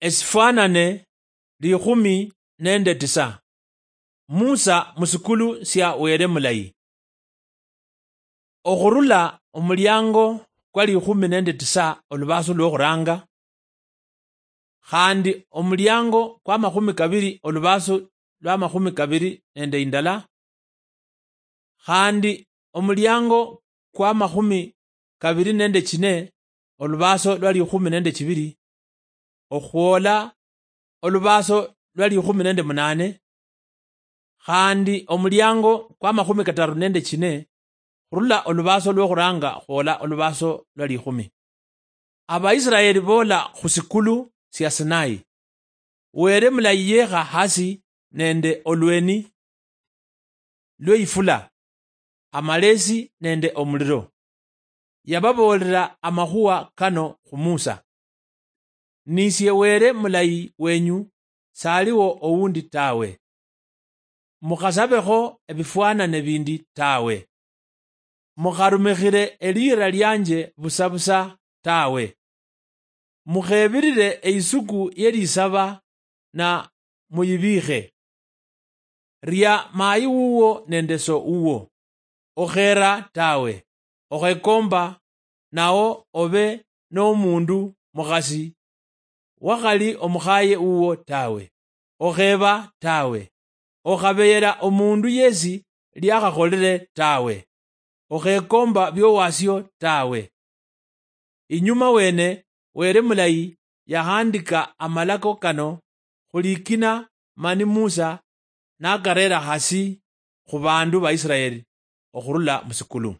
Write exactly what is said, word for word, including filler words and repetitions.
Esifwanane likhumi nende tisa. Musa musikulu sia Wele mulayi. Okhurula omuliango kwa likhumi nende tisa olubasu lwokhuranga, khandi omuliango kwa makhumi kabiri olubasu lwa makhumi kabiri nende indala, khandi omuliango kwa makhumi kabiri nende chine olubaso lwa likhumi nende chibiri, okhwola olubaso lwa likhumi nende munane, khandi omuliango kwa makhumi kataru nende chine, khurula olubaso lwokhuranga khwola olubaso lwa likhumi. Abaisraeli boola khusikulu sia Sinai. Wele mulayi yekha hasi nende olweni lweifula, amalesi nende omuliro. Yababoolera amakhuwa kano khu Musa: "Nisie Wele mulayi wenyu, saliwo owundi tawe. Mukhasabekho ebifwanane bindi tawe. Mukharumikhire eliira lianje busa busa tawe. Mukhebirire eisuku yelisaba na muyibiikhe. Ria mayi wuwo nende so wuwo. Okhera tawe. Okhekomba nao obe nomundu mukhasi wakhali omukhaye wuwo tawe. Okheba tawe. Okhabeyera omundu yesi liakhakholere tawe. Okhekomba biowasio tawe." Inyuma wene, Wele mulayi yahandika amalako kano khulikina, mani Musa nakarera hasi khu bandu ba Israeli okhurula musikulu.